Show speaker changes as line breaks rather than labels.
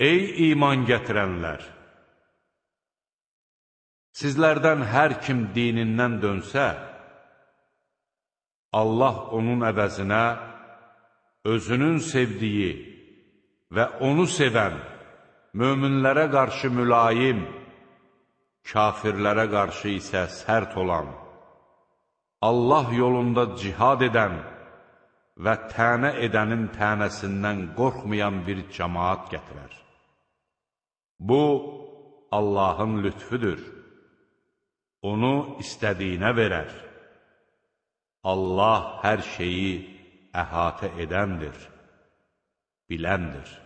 Ey iman gətirənlər! Sizlərdən hər kim dinindən dönsə, Allah onun əvəzinə özünün sevdiyi və onu sevən, möminlərə qarşı mülayim, kafirlərə qarşı isə sərt olan, Allah yolunda cihad edən və tənə edənin tənəsindən qorxmayan bir cəmaat gətirər. Bu, Allahın lütfüdür. Onu istədiyinə verər. Allah hər şeyi əhatə edəndir, biləndir.